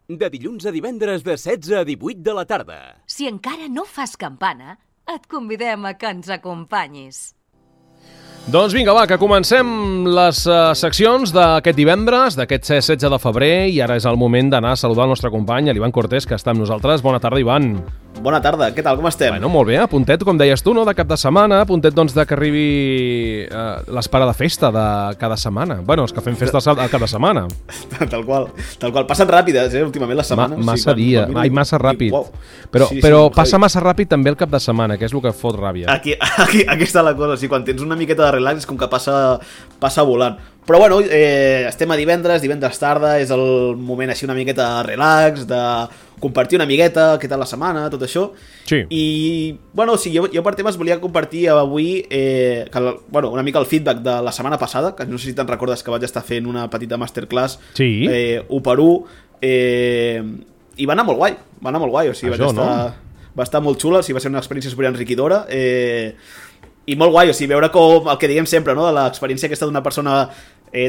De dilluns a divendres de 16 a 18 de la tarda. Si encara no fas campana, et convidem a que ens acompanyis. Doncs vinga, va, que comencem les seccions d'aquest divendres, d'aquest 16 de febrer, i ara és el moment d'anar a saludar el nostre company, l'Ivan Cortés, que està amb nosaltres. Bona tarda, Ivan. Bona tarda, què tal, com estem? Bueno, molt bé, a puntet, com deies tu, no?, de cap de setmana, a puntet, doncs, de que arribi l'espera de festa de cada setmana. Bueno, els que fem festa a cada setmana. Tal qual. Passen ràpides, últimament, les setmanes. Massa ràpid. Wow. Però passa massa ràpid també el cap de setmana, que és el que fot ràbia. Aquí està la cosa, quan tens una miqueta de relax és com que passa volant. Però bueno, estem a divendres tarda, és el moment així una miqueta de relax, de compartir una miqueta, què tal la setmana, tot això. Sí. I, bueno, sí, jo per temes volia compartir avui una mica el feedback de la setmana passada, que no sé si te'n recordes que vaig estar fent una petita masterclass, sí. 1 per 1, i va anar molt guai, o sigui, va estar molt xula, o sigui, va ser una experiència super enriquidora, i molt guai, o sigui, veure com el que diguem sempre, no?, de l'experiència aquesta d'una persona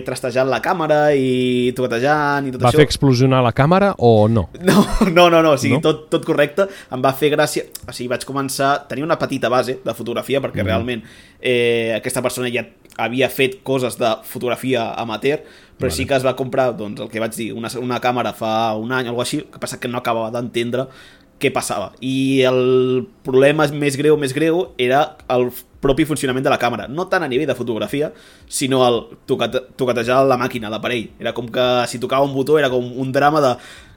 trastejant la càmera i toquetejant i tot això. Va fer explosionar la càmera o no? No, o sigui, no? Tot correcte. Em va fer gràcia, o sigui, vaig començar, tenia una petita base de fotografia, perquè realment aquesta persona ja havia fet coses de fotografia amateur, però sí que es va comprar, doncs, el que vaig dir, una càmera fa un any o alguna cosa així, que passa que no acabava d'entendre què passava. I el problema més greu era el propi funcionament de la càmera, no tant a nivell de fotografia, sinó el toquetejar la màquina, l'aparell. Era com que si tocava un botó era com un drama de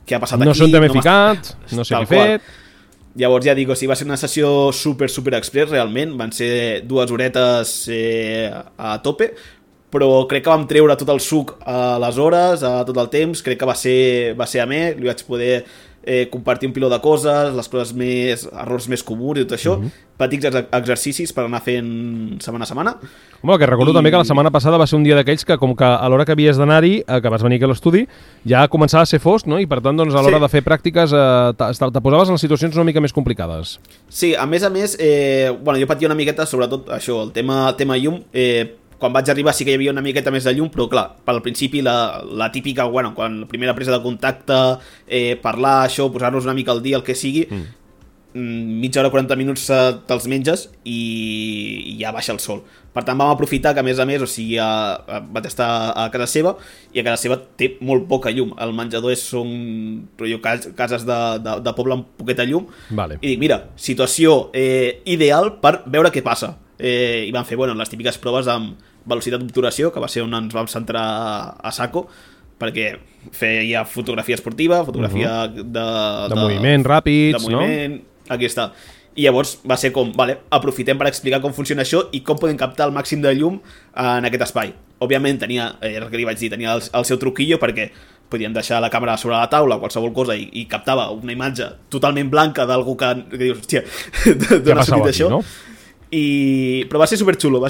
què ha passat aquí. No sé on t'he ficat, no sé què he fet. Llavors ja dic, o sigui, va ser una sessió super express realment, van ser 2 horetes a tope, però crec que vam treure tot el suc a les hores, a tot el temps, crec que va ser amè, li vaig poder compartir un piló de coses, les coses errors més comuns i tot això, petits exercicis per anar fent setmana a setmana. Home, que recordo també que la setmana passada va ser un dia d'aquells que com que a l'hora que havies d'anar-hi, que vas venir aquí a l'estudi, ja començava a ser fosc, no? I per tant, doncs, a l'hora de fer pràctiques te posaves en les situacions una mica més complicades. Sí, a més, jo patia una miqueta, sobretot això, el tema llum. Quan vaig arribar sí que hi havia una miqueta més de llum, però clar, al principi la típica, quan la primera presa de contacte, parlar, això, posar-nos una mica al dia, el que sigui, mitja hora, 40 minuts te'ls menges i ja baixa el sol. Per tant, vam aprofitar que, a més, o sigui, vaig estar a casa seva, i a casa seva té molt poca llum. El menjador són cases de poble amb poqueta llum, vale. I dic, mira, situació ideal per veure què passa. I vam fer les típiques proves amb velocitat d'obturació, que va ser on ens vam centrar a saco, perquè feia fotografia esportiva, fotografia de moviment ràpids, de moviment, no? Aquí està. I llavors va ser com, aprofitem per explicar com funciona això i com podem captar el màxim de llum en aquest espai. Òbviament tenia, el que li vaig dir, tenia el seu truquillo, perquè podien deixar la càmera sobre la taula, qualsevol cosa, i captava una imatge totalment blanca d'algú que dius, hòstia, d'on ha sortit això? No? Però va ser superxulo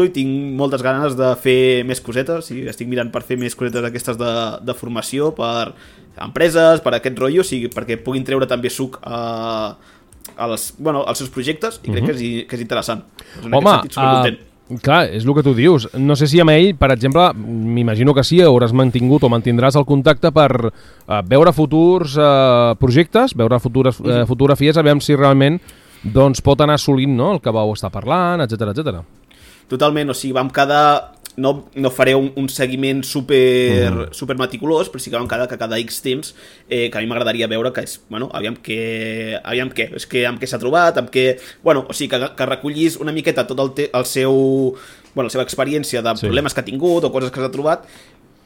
i tinc moltes ganes de fer més cosetes, estic mirant per fer més cosetes aquestes de formació per empreses, per aquest rotllo, perquè puguin treure també suc als seus projectes, i crec que és interessant. En home, aquest sentit, supercontent. Clar, és el que tu dius. No sé si amb ell, per exemple, m'imagino que sí, hauràs mantingut o mantindràs el contacte per veure futurs projectes, veure futures fotografies, a veure si realment doncs pot anar assolint, no?, el que vau estar parlant, etc. Totalment, o sigui, vam quedar... No faré un seguiment super meticulós, però sí que vam quedar que cada X temps que a mi m'agradaria veure que és, aviam què s'ha trobat, o sigui, que recollis una miqueta tot la seva experiència de problemes que ha tingut o coses que s'ha trobat,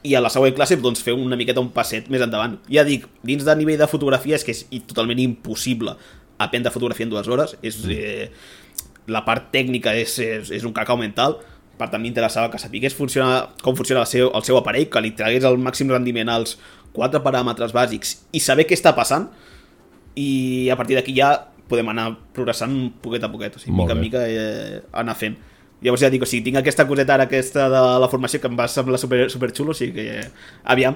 i a la següent classe doncs fer una miqueta un passet més endavant. Ja dic, dins de nivell de fotografia és que és totalment impossible aprendre fotografia en 2 hores, la part tècnica és un cacau mental. Per tant, m'interessava que sapigués com funciona el seu aparell, que li tragués el màxim rendiment als 4 paràmetres bàsics i saber què està passant, i a partir d'aquí ja podem anar progressant poquet a poquet, o sigui, mica en mica anar fent. Llavors ja dic, o sigui, tinc aquesta coseta ara, aquesta de la formació, que em va semblar super xulo, o sigui que aviam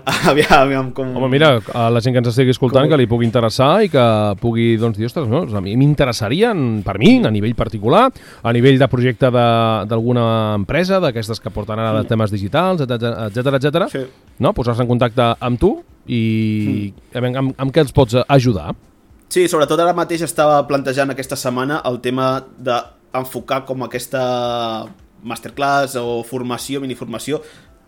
com... Home, mira, a la gent que ens estigui escoltant, que li pugui interessar i que pugui, doncs, dir, ostres, no? A mi m'interessarien, per mi, a nivell particular, a nivell de projecte d'alguna empresa, d'aquestes que porten ara de temes digitals, etcètera, Sí. no? Posar-se en contacte amb tu i amb què els pots ajudar. Sí, sobretot ara mateix estava plantejant aquesta setmana el tema d'enfocar com aquesta masterclass o formació, miniformació,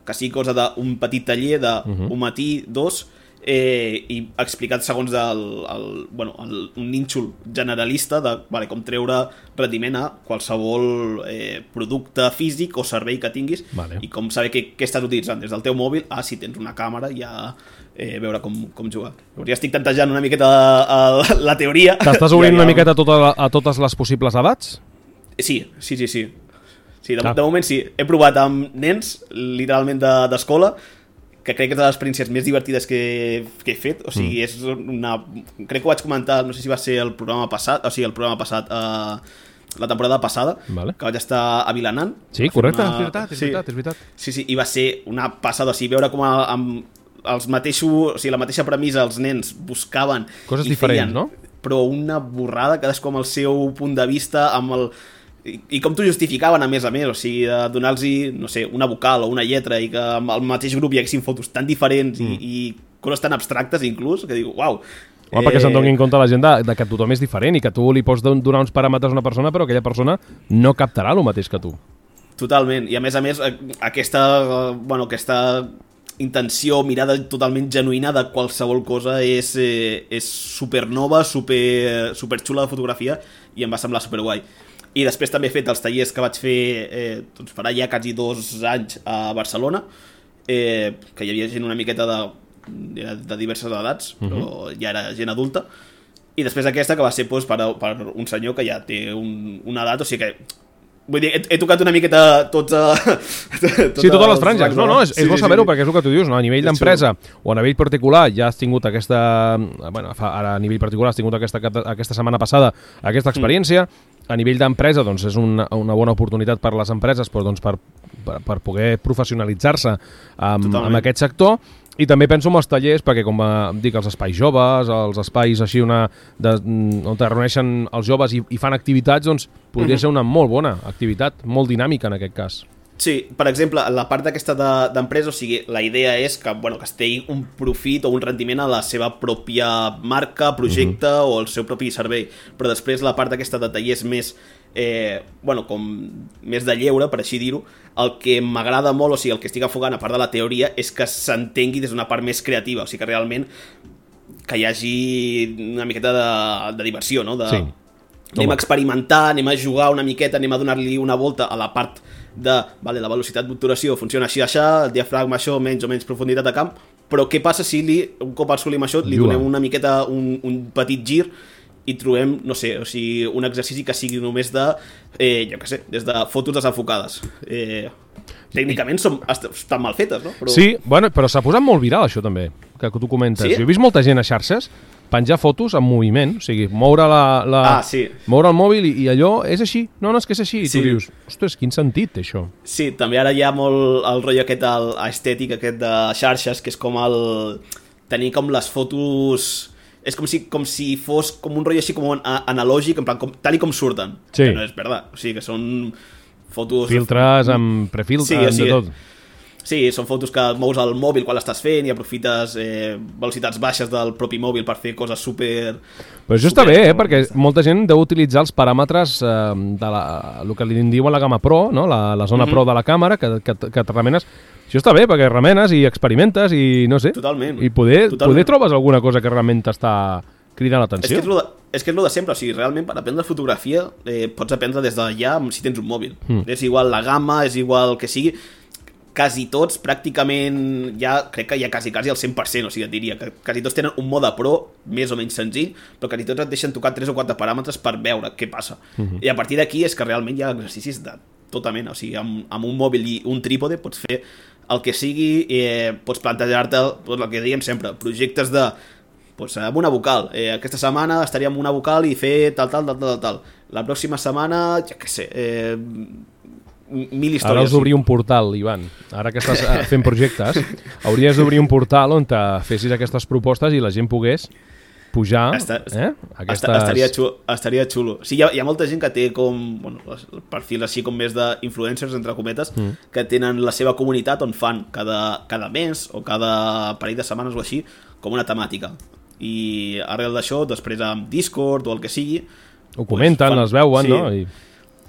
que sigui cosa d'un petit taller d'un matí, 2, i explicat segons un nínxol generalista de com treure rendiment a qualsevol producte físic o servei que tinguis, i com saber què estàs utilitzant des del teu mòbil a si tens una càmera ja veure com jugar. Ja estic tantejant una miqueta la teoria. T'estàs obrint una miqueta a totes les possibles edats? Sí, de moment sí. He provat amb nens, literalment d'escola, que crec que és de les experiències més divertides que he fet. O sigui, és crec que ho vaig comentar, no sé si va ser el programa passat, la temporada passada, que vaig estar a Vilanant. Sí, correcte, és veritat. Sí, i va ser una passada, o sigui, veure com la mateixa premissa els nens buscaven coses diferents, no? Però una borrada, cadascú amb el seu punt de vista, i com t'ho justificaven a més, o sigui, de donar-los, no sé, una vocal o una lletra, i que al mateix grup hi haguessin fotos tan diferents i coses tan abstractes inclús, que dic, uau. Home, perquè se'n doni en compte la gent de que tothom és diferent i que tu li pots donar uns paràmetres a una persona, però aquella persona no captarà el mateix que tu. Totalment, i a més, aquesta intenció, mirada totalment genuïna de qualsevol cosa és supernova, superxula de fotografia, i em va semblar superguai. I després també he fet els tallers que vaig fer farà ja quasi 2 anys a Barcelona, que hi havia gent una miqueta de diverses edats, però ja era gent adulta, i després aquesta que va ser per un senyor que ja té una edat, o sigui que vull dir, he tocat una miqueta totes les franges. No, és bo saber-ho, perquè és el que tu dius, no? A nivell d'empresa o a nivell particular ja has tingut ara a nivell particular has tingut aquesta setmana passada aquesta experiència. A nivell d'empresa, doncs, és una bona oportunitat per les empreses, doncs, per poder professionalitzar-se en aquest sector. I també penso en els tallers, perquè, com dic, els espais joves, els espais així on es reuneixen els joves i fan activitats, doncs podria ser una molt bona activitat, molt dinàmica en aquest cas. Sí, per exemple, la part d'aquesta d'empresa, o sigui, la idea és que es tingui un profit o un rendiment a la seva pròpia marca, projecte o el seu propi servei, però després la part d'aquesta de tallers més com més de lleure, per així dir-ho, el que m'agrada molt, o sigui, el que estic enfocant a part de la teoria, és que s'entengui des d'una part més creativa, o sigui, que realment que hi hagi una miqueta de diversió, no? Sí. Anem a experimentar, anem a jugar una miqueta, anem a donar-li una volta a la part la velocitat d'obturació funciona així, el diafragma això, menys o menys profunditat de camp, però què passa si un cop assolim això li donem una miqueta, un petit gir i trobem, no sé, o sigui, un exercici que sigui només de, jo què sé, des de fotos desenfocades. Tècnicament estan mal fetes, no? Sí, però s'ha posat molt viral això també, que tu comentes. Sí? Jo he vist molta gent a xarxes penjar fotos en moviment, o sigui, moure moure el mòbil i allò és així. No, és que és així. I tu dius, ostres, quin sentit té això? Sí, també ara hi ha molt el rotllo aquest estètic, aquest de xarxes, que és com tenir com les fotos... És com si fos com un rotllo així com analògic, en plan, tal i com surten. Sí. Que no és veritat. O sigui, que són fotos... Filtres, amb prefiltres, de tot. Sí, són fotos que mous al mòbil quan l'estàs fent i aprofites velocitats baixes del propi mòbil per fer coses super... Però això està bé, perquè molta gent deu utilitzar els paràmetres de el que li diuen la gamma Pro, no? La zona Pro de la càmera, que et remenes. Això està bé, perquè remenes i experimentes i no sé. Totalment. I poder trobes alguna cosa que realment t'està cridant l'atenció. És que és lo de sempre, o sigui, realment per aprendre fotografia pots aprendre des d'allà si tens un mòbil. És igual la gamma, és igual el que sigui... Quasi tots, pràcticament, crec que ja quasi al 100%, o sigui, et diria que quasi tots tenen un mode pro, més o menys senzill, però quasi tots et deixen tocar 3 o 4 paràmetres per veure què passa. I a partir d'aquí és que realment hi ha exercicis de tota mena, o sigui, amb un mòbil i un trípode pots fer el que sigui, pots plantejar-te el que dèiem sempre, projectes amb una vocal. Aquesta setmana estaria amb una vocal i fer tal. La pròxima setmana, ja què sé... mil històries. Ara has d'obrir un portal, Ivan. Ara que estàs fent projectes, hauries d'obrir un portal on te fessis aquestes propostes i la gent pogués pujar estaria xulo. Sí, hi ha molta gent que té com perfils així com més d'influencers, entre cometes, que tenen la seva comunitat on fan cada mes o cada parell de setmanes o així com una temàtica. I arrel d'això, després amb Discord o el que sigui, ho comenten, els veuen, sí. No?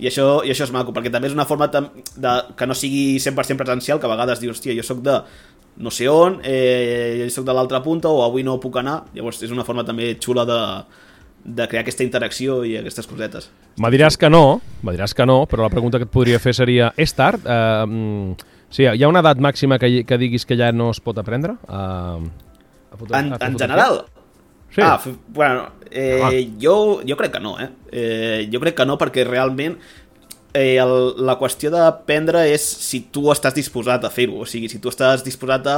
I això és maco, perquè també és una forma que no sigui 100% presencial, que a vegades dius, hòstia, jo soc de no sé on, jo soc de l'altra punta o avui no puc anar. Llavors és una forma també xula de crear aquesta interacció i aquestes cosetes. Me diràs que no, però la pregunta que et podria fer seria, és tard? Sí, hi ha una edat màxima que diguis que ja no es pot aprendre? En general? Sí. Jo crec que no, jo crec que no, perquè realment la qüestió d'aprendre és si tu estàs disposat a fer-ho, o sigui, si tu estàs disposat a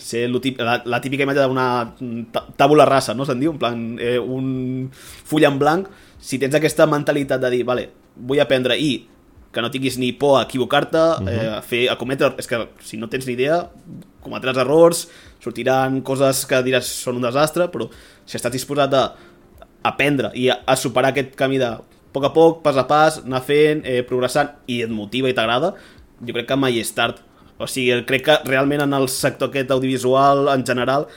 ser la típica imatge d'una tàbula rasa, no se'n diu? En plan, un full en blanc, si tens aquesta mentalitat de dir, vale, vull aprendre i que no tinguis ni por a equivocar-te, a cometre, és que si no tens ni idea, cometràs errors, sortiran coses que diràs són un desastre, però si estàs disposat a aprendre i a superar aquest camí de poc a poc, pas a pas, anar fent, progressant i et motiva i t'agrada, jo crec que mai és tard. O sigui, crec que realment en el sector aquest audiovisual en general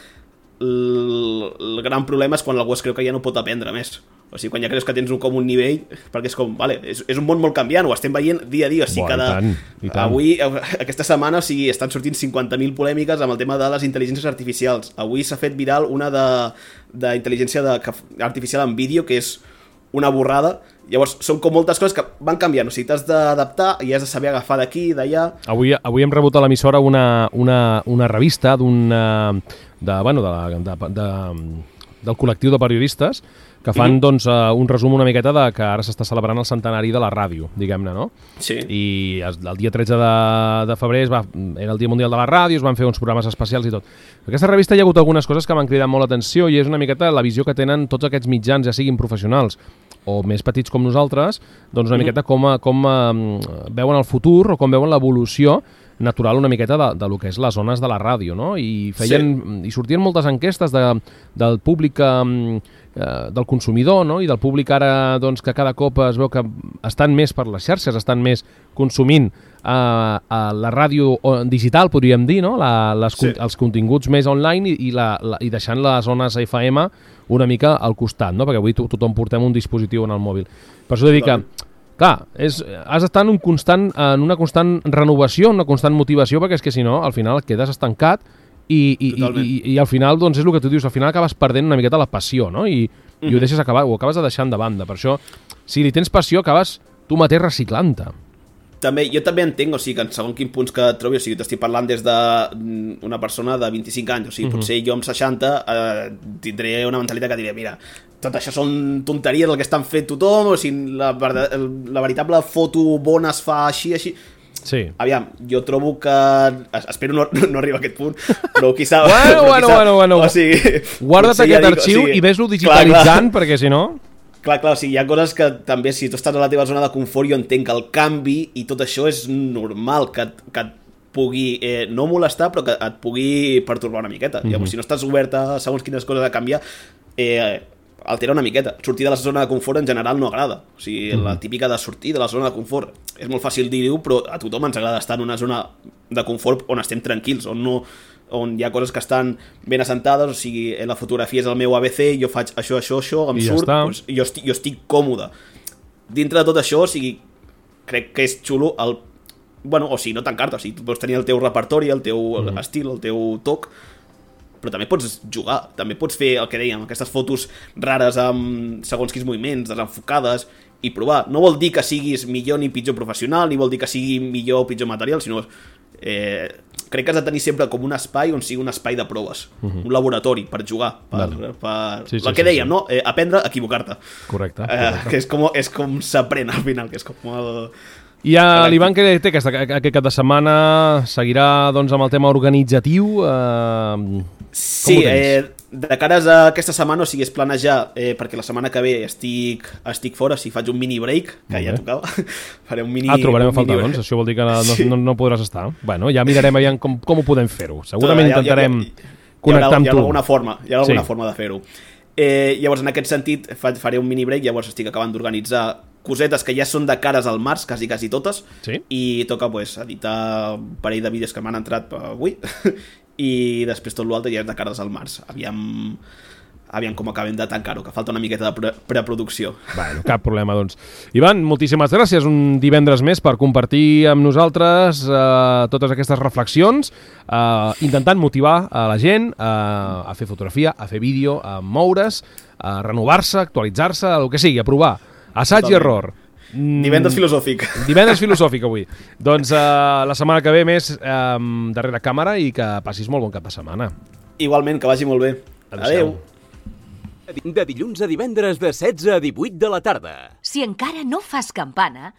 el gran problema és quan algú es creu que ja no pot aprendre més. O sigui, quan ja creus que tens com un nivell, perquè és com, vale, és un món molt canviant, ho estem veient dia a dia, o sigui, i tant. Avui, aquesta setmana, o sigui, estan sortint 50.000 polèmiques amb el tema de les intel·ligències artificials. Avui s'ha fet viral una d'intel·ligència artificial en vídeo, que és una borrada. Llavors, són com moltes coses que van canviant, o sigui, t'has d'adaptar i has de saber agafar d'aquí, d'allà. Avui hem rebut a l'emissora una revista del col·lectiu de periodistes que fan doncs, un resum una miqueta de que ara s'està celebrant el centenari de la ràdio, diguem-ne, no? Sí. I el dia 13 de febrer era el Dia Mundial de la Ràdio, es van fer uns programes especials i tot. En aquesta revista hi ha hagut algunes coses que m'han cridat molt l'atenció i és una miqueta la visió que tenen tots aquests mitjans, ja siguin professionals o més petits com nosaltres, doncs una miqueta com veuen el futur o com veuen l'evolució natural una miqueta de lo que és les zones de la ràdio, no? I sortien moltes enquestes del públic, del consumidor, no? I del públic ara doncs, que cada cop es veu que estan més per les xarxes, estan més consumint a la ràdio digital, podríem dir, no? Els continguts més online i deixant les zones FM una mica al costat, no? Perquè avui tothom portem un dispositiu en el mòbil. Per això he de dir que clar, has d'estar en una constant renovació, una constant motivació, perquè és que si no, al final quedes estancat i al final, doncs és el que tu dius, al final acabes perdent una miqueta la passió, no? I ho deixes acabar, ho acabes de deixar de banda. Per això, si li tens passió, acabes tu mateix reciclant-te. Jo també entenc, o sigui, que en segons quin punts que et trobi, o sigui, t'estic parlant des d'una persona de 25 anys, o sigui, potser jo amb 60 tindré una mentalitat que diré, mira, tot això són tonteries el que estan fent tothom, o sigui, la veritable foto bona es fa així. Sí. Aviam, jo trobo que... Espero no arribar a aquest punt, però qui sap... Bueno. O sigui, guarda't aquest arxiu i ves-lo digitalitzant, perquè si no... Clar, o sigui, hi ha coses que també, si tu estàs a la teva zona de confort, jo entenc que el canvi i tot això és normal, que et pugui no molestar, però que et pugui pertorbar una miqueta. Llavors, si no estàs obert a segons quines coses a canviar, altera una miqueta. Sortir de la zona de confort en general no agrada. O sigui, la típica de sortir de la zona de confort. És molt fàcil dir-ho, però a tothom ens agrada estar en una zona de confort on estem tranquils, on hi ha coses que estan ben assentades, o sigui, la fotografia és el meu ABC, jo faig això, em surt, doncs jo estic còmode. Dintre de tot això, o sigui, crec que és xulo o sigui, no tancar-te, o sigui, tu pots tenir el teu repertori, el teu estil, el teu toc, però també pots jugar, també pots fer el que dèiem, aquestes fotos rares amb segons quins moviments, desenfocades, i provar. No vol dir que siguis millor ni pitjor professional, ni vol dir que sigui millor o pitjor material, sinó crec que has de tenir sempre com un espai on sigui un espai de proves, un laboratori per jugar, el que dèiem, no? Aprendre a equivocar-te. Correcte. Que és com s'aprèn al final, que és com el... I l'Ivan que té aquest cap de setmana seguirà doncs, amb el tema organitzatiu? Sí, de cares a aquesta setmana, o sigui, és planejar, perquè la setmana que ve estic fora, si faig un mini break, que ja tocava, faré un mini... trobarem a faltar, doncs, això vol dir que no podràs estar. Bueno, ja mirarem aviam com ho podem fer-ho. Segurament intentarem connectar amb tu. Hi ha alguna forma de fer-ho. Llavors, en aquest sentit, faré un mini break, llavors estic acabant d'organitzar cosetes que ja són de cares al març, quasi totes, i toca editar un parell de vídeos que m'han entrat avui, i després tot l'altre ja és de cares al març. Aviam com acabem de tancar-ho, que falta una miqueta de preproducció. Bueno, cap problema, doncs. Ivan, moltíssimes gràcies un divendres més per compartir amb nosaltres totes aquestes reflexions, intentant motivar a la gent a fer fotografia, a fer vídeo, a moure's, a renovar-se, a actualitzar-se, el que sigui, a provar. Assaig i error. Divendres filosòfic. Divendres filosòfic avui. Doncs la setmana que ve més darrere càmera i que passis molt bon cap de setmana. Igualment, que vagi molt bé. Adéu. De dilluns a divendres de 16 a 18 de la tarda. Si encara no fas campana,